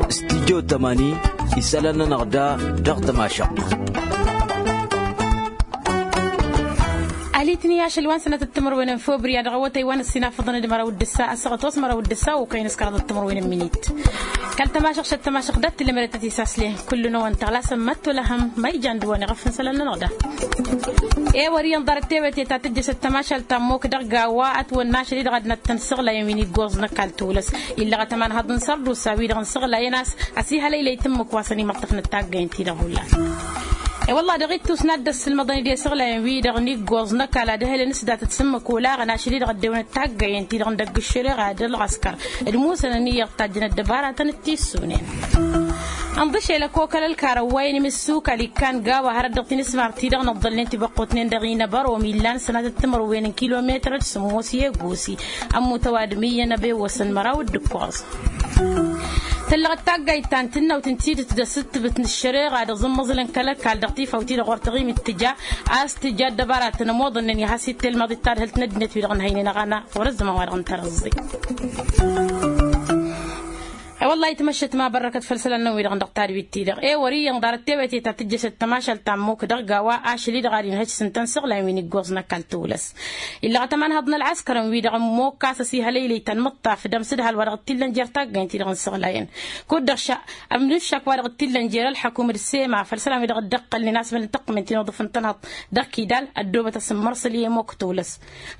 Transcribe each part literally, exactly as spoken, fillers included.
Studyo tămani isălan-nănăɣ da dăɣ-tămašăɣt. Alitni ašăl wa n-sănatăt timărwen n-februar dăɣ-awătay wa n-ăssinafăḍăn d-măraw d-ǝssa ăsăɣăt wa s-măraw d-ǝssa okăyăn s-kăraḍăt timărwen n-minit. Kăl-tămašăɣt šăt tămašăɣt dat-tǝlmărătăt isasleh kullu n-awăn tăɣlasăm măttolăhăm ma ijan d-wăn iɣăf n-isălan-nănăɣ da. Ewăr iyyăn ḍarăt tewete ta tǝjjăšăt tămašalt ta n-mok dăɣ-gawa ătwănna ašăl-i-dăɣ ad-năttăn săɣlayăn wi n-iggoẓ n-ăkall tolăs. Illăɣăt ămanhăḍ n-sărdusa wi-dăɣ n-săɣlayăn a-s ăsihălăylăy tǝmmǝk wa săn imăṭṭăfnăt taggăyăn-ti-dăɣ hullan. E-wălla dăɣ-ittus n-ad-dd-ăssǝlmăḍăn-dd i-săɣlayăn-wi-dăɣ n-iggoẓ n-ăkall ad-ăhălăn s-datăt s-ǝmmǝk olaɣăn ašăl-i-dăɣ ăddewănăt taggăyăn-ti-dăɣ n-dăgg-ǝššăreɣa d-ălɣăskăr d-musănăn iyyăḍ tajjăn ăddăbaratăn d-tissunen. Ănḍǝšel ăkokăl ălkarăn wa inǝmǝssukal ikkan gawa hărăt dăɣ-tinǝsmar-ti-dăɣ nǝḍḍălnen tibăqqutnen dăɣ-inăbărom illan sănatăt timărwen n-kilometăr d-sǝmmos i-egosi. Ămmut ăwadǝm iyyăn ăbewăsăn măraw d-ǝkkoẓ. Tăllăɣăt taggayt ta n-tǝnnawt n-tidǝt d-asǝttǝbǝt n-ăššăreɣa d-aẓǝmmăẓǝlăn kăl-ăkall dăɣ-tifawt-i-dăɣ wăr tăɣimit tǝja a-s tǝja ăddăbaratăn ămoḍănnen i-has-ittelmaḍ d-tadhǝlt n-ăddinăt wi-dăɣ n-hăynen aɣăna. Wăr-ăzzăman wa dăɣ-n tărăẓẓe. E-wăllah itmăššăt ma bărrăkăt făll-isălan-nănăɣ wi-dăɣ dăɣ-tadwit-ti-dăɣ ewăr iyyăn ḍarăt tewăte ta tǝjjăšăt tămašalt ta n-mok dăɣ-gawa ašăl-i-dăɣ ad-inhăj s-ǝntăn săɣlayăn wi n-iggoẓ n-ăkall tolăs. Illăɣăt ămanhăḍ n-ălɣăskărăn-wi-dăɣ n-mok a-s ăsihălăylăy ta n-imǝṭṭaf d-amsǝdhal wa dăɣ-t-illăn jer-taggăynt-i-dăɣ n-săɣlayăn. Kud-dăɣ ša ămnuššak wa dăɣ-t-illăn jer-ălḥăkum d-sema făll-isălan-wi-dăɣ dd-ăqqălnen a-s mălăn tăqqǝmen ti n-uḍǝf n-tănhăḍt dăɣ-kidal ăddoobăt asǝmmărṣăl i-mok tolăs.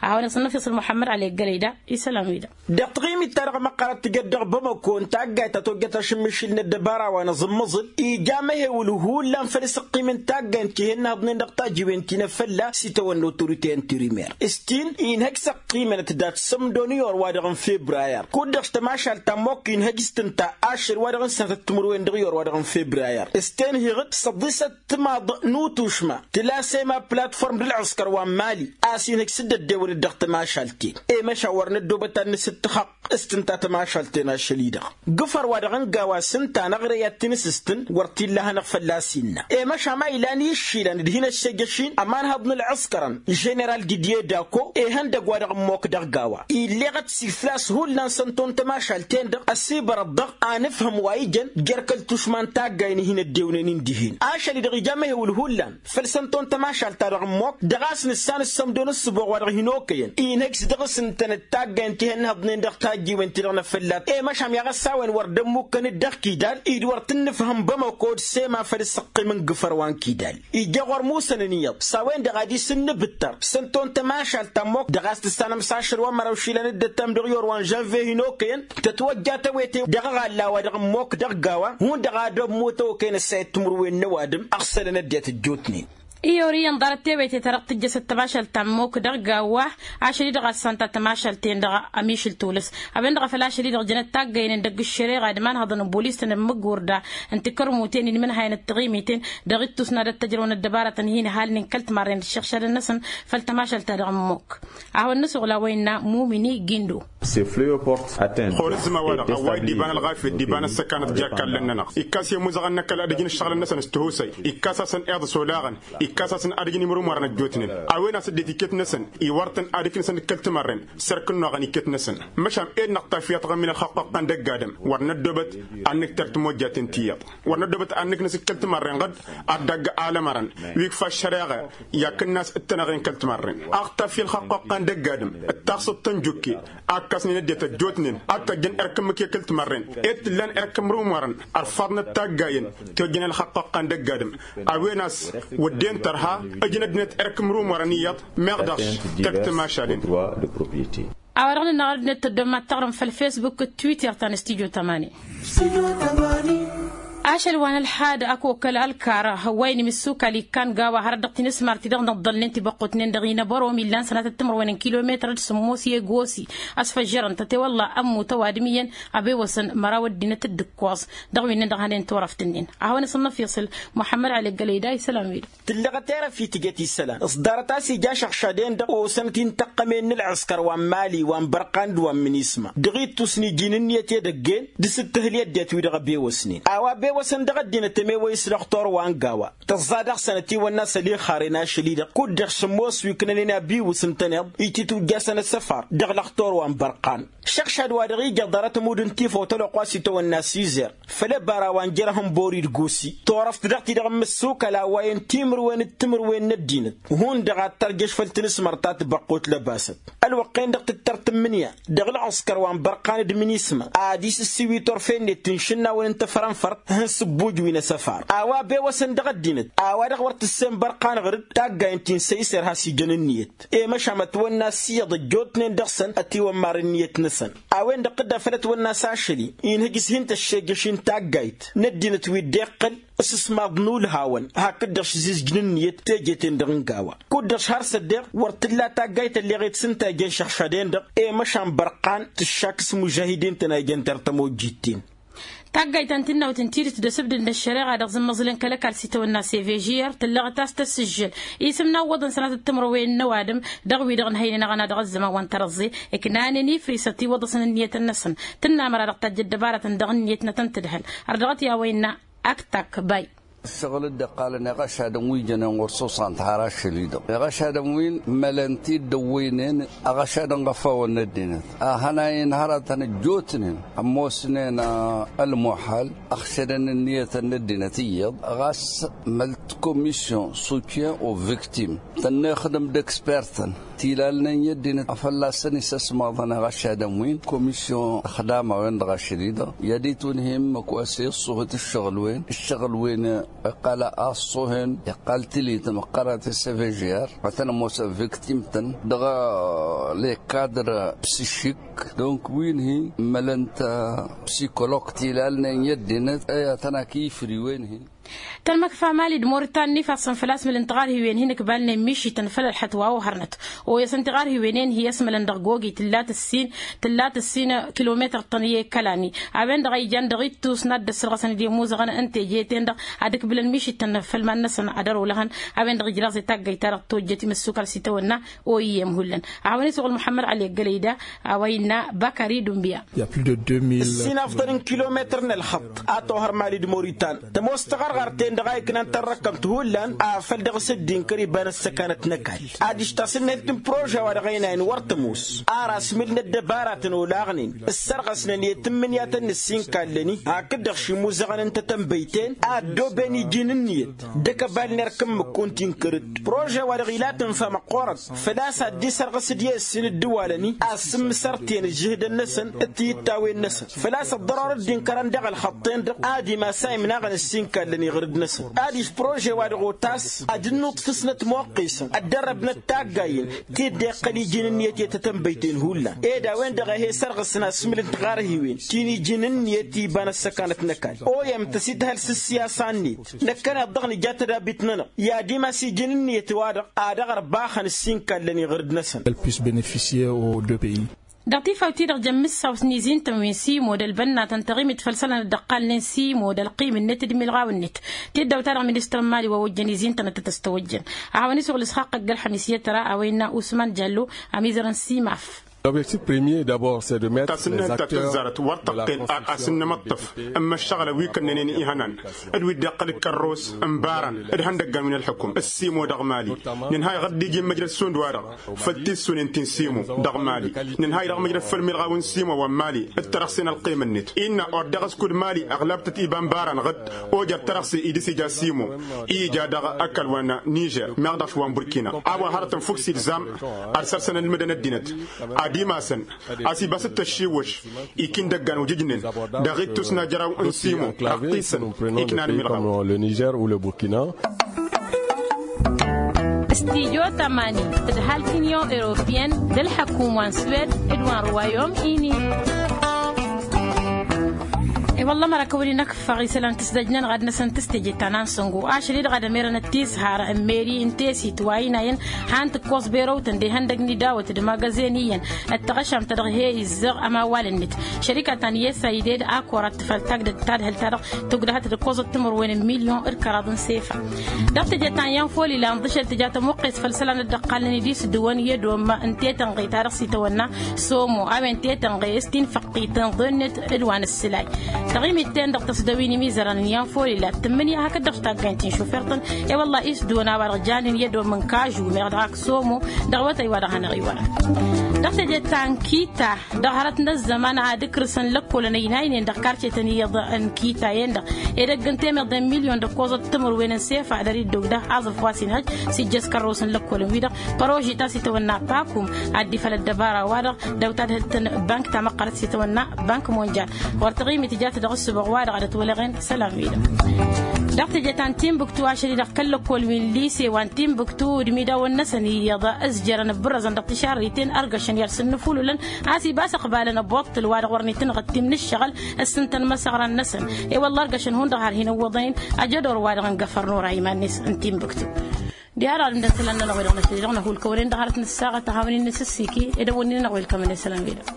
A hawăn-asăn n-ăfiṣăl muḥămmăd ălleggălăy da isălan-wi-dăɣ. Dăɣ-taɣimit-ta-dăɣ măqqărăt tǝjăt dăɣ-bamăko n-taggayt ta tojjăt ašǝmmišǝl n-ăddăbara wa n-aẓǝmmăẓǝl ija amehewǝl hullan făll-asǝqqim n-taggayt ti hennăhăḍnen dăɣ-tajiwen ti n-afălla s-itawănna otorite n-tirimer s-tin inhăj s-ăqqimănăt dat-sămdo n-iyor-wa-dăɣ n-febrayăr kud-dăɣ tămašalt ta n-mokk inhăj s-tǝnta ašăl wa-dăɣ n-sănatăt timǝrwen dăɣ-iyor-wa-dăɣ n-febrayăr s-tenhiɣ-dd săḍisăt timaḍ n-utušma tǝla sema platform d-ălɣǝskăr wa n-mali a-s inhăj s-dd-ăddewănăt dăɣ-tămašalt-en. I-măšan wăr năddoobăt ad-nǝsǝttăxăɣ s-tǝnta tămašalt-en ašăl-i-dăɣ gǝfăr wa dăɣ-n gawa s-ǝnta n-aɣrăy ad-t-inǝsǝstǝn wăr t-illa a hanăɣ-fălla-s innă. I-măšan ma ilan i-išilan d-hin-ăššejăš-in ămanhăḍ n-ălɣǝskărăn ženeral didye dako ihăndăgg wa dăɣ-ămmok dăɣ-gawa illeɣăt s-iflas hullan sănton tămašalt-en-dăɣ ăsibărăt dăɣ-anǝfhǝm wa ijăn jer-kăl-tušma n-taggayen i-hin-ăddewnen-in dihen ašăl-i-dăɣ ija amehewǝl hullan făll-sănton tămašalt-ta-dăɣ n-mok dăɣ-a-s nǝssan ǝssămdo n-ǝssǝboɣ wa dăɣ-hin-okăyăn inhăj s-dăɣ-s ǝntănăt taggayen ti hănnăhăḍnen dăɣ-tajjiwen-ti-dăɣ n-afăllat i-măšan yaɣ-ăssawăyăn wăr dd-ămmukkăn-dd dăɣ-kidal-i d-wăr t-ǝnnǝfhăm bămăko d-sema făll-ǝssăqqim n-gǝfăr wa n-kidal ija ɣur-musăn ǝnniyăḍ s-a-wen-dăɣ ad-isǝnnǝbǝttăr s-ănto n-tămašalt ta n-mok dăɣ-a-s tǝssanăm s-ašăl wa n-măraw išilan d-ăttam dăɣ-iyor wa n-žănve hin-okăyăn tătwăjja tawete dăɣ-aɣalla wa dăɣ-n mok dăɣ-gawa hundăɣ ad-ămmut okăyăn ăssayăt timǝrwen n-ăwadǝm ăɣsălăn ăddinăt ăjjootnen. Iyyăn ḍarăt tewete ta dăɣ-tǝjjăšăt tămašalt ta n-mok dăɣ-gawa ašăl-i-dăɣ a ăssanta tămašalt-ten-dăɣ ămišǝl tulǝs a-wen-dăɣ a făl ašăl-i-dăɣ jănăt taggăynen dăgg-ǝššăreɣa d-imanhăḍăn n-bulis-tăn n-imǝggurda n-tikărmuten-in mǝnhayăn d-tiɣimiten dăɣ-ittus n-ad-ăttăjrăwăn ăddăbarătăn hin-ăhalnen kăl-timarren d-ǝššăɣšadăn-năsăn făll-tămašalt-ta-dăɣ n-mok. A hawăn-nǝsuɣǝl a-wa innă mumini gindo. Ɣur-ǝzzǝma-wa-dăɣ ăwway d-iba n-ălɣafyăt d-iba n-ăssăkanăt ja kallăn-nănăɣ ikkas i-imuzăɣăn n-ăkall ad-ǝjǝn ǝššăɣǝlăn-năsăn s-tihusay ikkas-asăn iḍǝs olaɣăn ikkas-asăn ad-ǝjǝn imrumărăn ăjjootnen. A-wen a-s ăddinăt iket-năsăn iwar-tăn ad-ǝknǝsăn d-kăl-timarren s-erk ǝnnuɣăn iket-năsăn. Măšan ed-năɣ tafyăt ɣǝm-in ălxaqq ăqqăn dăgg-adǝm wăr năddoobăt ad-nǝkter timojjaten tiyyăḍ wăr năddoobăt ad-nǝknǝs d-kăl-timarren ɣǝd ad-dăgg alămărăn wi ikfa ăššăreɣa i-akǝnnas d-tănăɣen kăl-timarren. Aɣ-tafya ălxaqq ăqqăn dăgg-adǝm d-taxsăḍt tănjukke a ǝkkasnen ăddinăt ăjjootnen ad-t-ăjjăn erk ǝmmǝk i-kăl-timarren ed t-ǝllan erk imrumărăn ărfaḍnăt taggayen ti ojjăn ălxaqq ăqqăn dăgg-adǝm. A-wen a-s wădden tărha ǝjǝn ăddinăt erk imrumărăn iyyăḍ meɣ dăɣ-s tăgg-tămašalen. A-wa dăɣ-nǝnna ɣăr ăddinăt tăddom mad-taɣrǝm făll-fesbuk d-twitter ta n-studyo tămani. Ašăl wa n-ălxad ăkokăl ălkar wa inǝmǝssukal ikkan gawa hărăt dăɣ-tinǝsmar-ti-dăɣ nǝḍḍălnen tibăqqutnen dăɣ-inăbărom illan sănatăt timărwen n-kilometăr d-sǝmmos i-egosi. Ăsfăjjărăn-tăt i-wălla ămmut ăwadǝm iyyăn ăbewăsăn măraw ăddinăt d-ǝkkoẓ dăɣ-wi-nin-dăɣ hănen turăft-nin. A hawăn-asǝnnăf iṣǝl muḥămmăd ălleggălăy da isălan-wi-dăɣ. Tǝllăɣăt erăf i-tǝjăt isălan s-ḍarăt a-s ija ašăɣšad-en-dăɣ osănăt-in tăqqămen n-ălɣǝskăr wa n-mali wa n-bărqan d-wa n-minisma dăɣ-ittus n-iji n-ǝnniyăt i-edăgg-en d-asǝttǝhǝl i-ăddinăt-wi-dăɣ ăbewăsnen a-wa. Wăsăn dăɣ-ăddinăt ămewăy s-lăxtor wa n-gawa tăẓẓa dăɣ-săn ătiwănna s-ălixaren ašăl-i-dăɣ kud-dăɣ šămmos wi ǝknănen abiyǝw s-ǝntăneḍ ititujjasăn asăfar dăɣ-lăxtor wa n-bărqan. Šăɣšad wa dăɣ-ija ḍarăt ămudd n-tifăwt ălwăqq wa s-itawănna s-izer făll-ebara wa n-jer-ehănbori d-gosi turăft dăɣ-ti-dăɣ n-imǝssukăl a wayăn timǝrwen d-timǝrwen n-ăddinăt hundăɣ ad-tărjăš făll-tinǝsmărt ta tibăqqut lăbasăt. Ălwăqq-en-dăɣ tǝttăr tǝmmǝnǝya dăɣ-ălɣǝskăr wa n-bărqan d-minisma ad-isǝssiwi turfen-net n-išǝnnawăn n-tafrănfărt ihăn s-ǝbbuj wi n-asăfar a-wa bewăsăn dăɣ-ăddinăt a-wa-dăɣ wăr tǝssen bărqan ɣǝr-dd taggayen ti n-săyser has-ijăn ǝnniyăt. I-măšan mătwănna s-iyyăḍ ăjjootnen dăɣ-săn ătiwămmar ǝnniyăt-năsăn a-wen-dăɣ tǝdda făll-ătwănna s-ašăl-i inhǝj s-hin-tăššejăš-in taggayt n-ăddinăt wi dd-iqqăl s-ǝsmaḍ n-ulhawăn hakd-dăɣ šǝzizjǝn ǝnniyăt teje-ten-dăɣ n-gawa. Kud-dăɣ šhar s-ăddeɣ wăr t-tǝlla taggayt ălleɣ-i d-sǝntajăn šăɣšad-en-dăɣ i-măšan bărqan tǝššak s-imužahid-in-tăn a ijăn tertămojjit-ten. Taggayt ta n-tǝnnawt n-tidǝt d-asǝbdǝd n-ăššăreɣa dăɣ-zǝmmăẓǝlăn kăl-ăkall s-itawănna s-evžiyăr tǝllăɣăt a-s tăssǝžžǝl isǝm n-awwăḍăn sănatăt timǝrwen n-ăwadǝm dăɣ-wi-dăɣ ǝnhăynen aɣăna dăɣ-ăzzăman wa n-tărăẓẓe ǝknanen ifrǝs ătiwăḍăsăn ǝnniyătăn-năsăn. Tǝnna măra dăɣ-tajj ăddăbarătăn dăɣ-ǝnniyăt-nătăn tǝdhăl ărdăɣăt i-a-wa innă. Ak takk bay. Ǝššăɣǝl dd-iqqalăn iɣăšadăn wi jănen ɣur-s osan tihărašăl-i-dăɣ iɣăšadăn wi n-mălăn-t-dd-ăwwăynen iɣăšadăn ɣăfawăn n-ăddinăt a hănayăn hărătăn ăjjootnen ămoosnen ălmuḥal ăɣšădăn ǝnniyătăn n-ăddinăt iyyăḍ. Ɣas măl-t komisyon sutyen o viktim tănnăyăxdăm d-ekspertăn tilalnen i-ăddinăt a fălla-săn isăsmaḍăn iɣăšadăn wi n-komisyon ăxdam a-wen-dăɣ ašăl-i-dăɣ i-ad-itwǝnhǝy ǝmmǝk wa s-e-ăṣṣuhǝt ǝššăɣǝl-wen ǝššăɣǝl-wen. Iqqal a ăṣṣuhăn iqqal tǝlităm ăqqărăt s-evžiyar ad-tăn-ămoosăn viktim-tăn dăɣ-lekadr psišik. Donc wi n-hi mălăn-t psikolog tilalnen i-ăddinăt i-ad-tăn-ak ifriwen-hi. Tălmăkfa mali d-moritan n-ifassăn făl-a-s mǝlǝn tiɣarhiwen hin-ǝkbalnen mišităn făll-ălxăt wa ohărnăt. Oyăsăn tiɣarhiwen-en hi-ăsmălăn dăɣ-gogi tǝllat ǝssin tǝllat ǝssin kilometăr-tăn i-kălani. A-wen-dăɣ a ijan dăɣ-ittus n-ad-dd-ăssărɣăsăn d-imuzăɣăn n-teje-ten-dăɣ ad-ǝkbǝlăn mišităn făll-iman-năsăn ad-ărwǝlăhăn. A-wen-dăɣ ijraẓ i-taggăyt-ta-dăɣ tojjăt imǝssukal s-itawănna. Oyǝyyem hullan a hawăn-isuɣǝl muḥămmăd ălleggălăy da. A-wa innă bakari dunbiya. Ǝssin afḍăl n-kilometăr n-ălxăṭṭ a tohăr mali d-moritan tămoos taɣărɣart-en-dăɣ a iknan tărrăkkămt hullan. Afăl dăɣ-s dd-inkăr iba n-ăssăkanăt n-ăkall adiš tasǝnnayt n-prože-wa-dăɣ ăynayăn wăr tămoos. Ar asmǝl n-ăddăbaratăn olaɣnen ǝssărɣăsnăn i-tǝmmǝnǝyatăn n-ǝssin kallăn-i hakd-dăɣ šimuzăɣăn n-tatănbăyt-en a ăddooben iji n-ǝnniyăt d-ăkăbal n-erk n-imǝkku n-tinkăr-dd. Prože-wa-dăɣ ila tǝnfa măqqoorăt făl-a-s ad-dd-isărɣǝs d-i ǝssin ǝddǝwalăn-i a ǝssǝmmǝsărtǝyăn ǝžžǝhdăn-năsăn d-tiyǝttawăn-năsăn. Făl-a-s ăḍḍăror dd-inkărăn dăɣ-ălxăṭṭen-dăɣ ad-imas a imnaɣăn ǝssin kallăn iɣrǝd-năsăn. Adiš prože-wa-dăɣ otas ad-dd-nuṭṭfǝsnăt moqqisăn ăddărrăbnăt taggayen ti dd-iqqăl iji n-ǝnniyăt i-tatănbăyt-en hullan. Ed a-wen-dăɣ a he-sărɣǝsăn asmǝl n-tiɣarhiwen ti n-iji n-ǝnniyăt iba n-ăssăkanăt n-ăkall. Oyăm tăsităhăl s-ǝssiyasa-net năkkăneḍ-dăɣ nǝja tădabit-nănăɣ i-ad-imas iji n-ǝnniyăt-wa-dăɣ ad-dăɣ-ărbaxăn ǝssin kallăn iɣrǝd-năsăn. Dăɣ-tifawt-i-dăɣ jăn mǝssawt n-izintăn wi n-simo d-ălbănnatăn tăɣimit făll-isălan dd-ăqqalnen simo d-ălqim-net d-imilɣaw-net. Tiddawt-ta-dăɣ ministăr n-mali wa ojjăn izintăn ad-tăt-ăstăwăjjăn. A hawăn-isuɣǝl isxaqq ăgg-ălxămis i-tăra a-wa innă usman jallo. Ămizăr n-simaf. L'objectif premier d'abord c'est de mettre les acteurs de la construction. Tasǝnnant ta tǝzzarăt wăr tăqqen a asǝnnămăṭṭăf n-imăššăɣǝlăn wi kănnănen ihănan d-wi dd-iqqăl d-kărros n-ibaran d-ihăndăggan wi n-ălḥukum ǝssimo dăɣ-mali. Nǝnhayăɣ dd-iji n-măjrăd sund-wa-dăɣ făll-tissunen ti n-simo dăɣ-mali. Nǝnhay dăɣ-măjrăd făll-milɣaw n-simo wa n-mali d-tărăɣse n-ălqim-net innă or dăɣ-s kud-mali ăɣlabtăt iba n-ibaran ɣǝd. Ojer tărăɣse i-dăɣ s-ija simo i-ija dăɣ-ăkall wa n-nižer meɣ dăɣ-š wa n-burkina a-wa hărătăn fukk s-ilzam. Ad-săr-săn ălmǝdăn ăddinăt ad-imasăn a-s ibas d-tăššiwwăš. Ikindăggan ojǝjnen dăɣ-ittus n-ajraw n-simo ăqqisăn iknan milɣaw. Le nižer ou le burkina. Stijo tămani d-halt union europeyenne d-ălḥăkum wa n-suwed d-wa n-ruwayom ini. I-wălla măra kăwăn-in-ăkfăɣ isălan tǝsdăj-nănăɣ ad-năsăn tǝstejăt ta n-ansăngo ašăl-i-dăɣ ad-ămerăn ăttisharăn n-meri n-tesit wa ăynayăn. Han tǝkkoẓ berăwtăn d-ihăndăg n-idawăt d-imagăzen iyyăn d-taɣăšamt ta dăɣ-he-izzăɣ ămawal-net šărika ta n-iyyăs a ided akora tǝfăl tagdăt tadhǝlt-ta-dăɣ tǝgdăhăt d-ǝkkoẓăt timǝrwen n-milyon d-kăraḍ n-sefa. Dăɣ-teje ta n-iyyăn foli la ǝnḍǝšel tǝja tămuqqes făll-isălan dd-ăqqalnen idis dăwăn i-ădom n-tetănɣe ta dăɣ-s itawănna somo a-wen tetănɣe s-tinfăqqit n-iḍe-net d-wa n-ǝssǝlay. Taɣimit-ten-dăɣ tăsdăwin imizărăn n-iyyăn folila tǝmmǝnǝya hakd-dăɣ s-taggaynt n-šufert-tăn. E-wălla-i s-dăwăn a-wa-dăɣ janen i-ădomm n-kažu meɣ dăɣ-ak somo dăɣ-awătay wa dăɣ-hanăɣ-iwărăn. Dăɣ-teje ta n-kita dăɣ-hărăt n-ăzzăman ad-ǝkrǝsăn lăkkolăn ăynaynen dăɣ-karcetăn iyyăḍ n-kita-en-dăɣ edăgg n-temeḍe n-milyon d-ăkkoẓăt timǝrwen n-sefa dăr-iddug da aẓǝf wa s-inhăj s-ijjăs kărrăwăs n-lăkkolăn-wi-dăɣ. Păroži ta s-itawănna pakum ad-dd-ifăl ăddăbara-wa-dăɣ dăw-tadhǝlt n-bank ta măqqărăt s-itawănna bank monjal. Ɣur-taɣi mi tǝjat dăɣ-ǝssǝbăɣ-wa-dăɣ ad-ătwălăɣen isălan-wi-dăɣ. Dăɣ-teje ta n-timbuktu ašăl-i-dăɣ kăl-lăkkol wi n-lise wa n-timbuktu d-imidawăn-năsăn iyyăḍ ǝzjărăn ǝbbǝrrăzăn dăɣ-tišarriten ărgăšăn i-ad-sǝnnǝfulǝlăn a-s ibas ăqbalăn ăboṭṭǝl wa-dăɣ wăren itǝnɣǝt timnǝššăɣǝl. S-ǝntăn măsăɣra-năsăn i-wălla ărgăšăn hundăɣ har hin-ǝwwăḍăyăn ajădor-wa-dăɣ n-găfăr n-ora iman-net n-timbuktu. Diha-dăɣ ad-ǝndăn isălan-nănăɣ-wi-dăɣ năsăl-i-dăɣ năhulkăwănen dăɣ-hărăt n-ăssaɣăt a hawăn-in-nǝsǝssiki ed ăwwănnin-anăɣ welkămăn isălan-wi-dăɣ.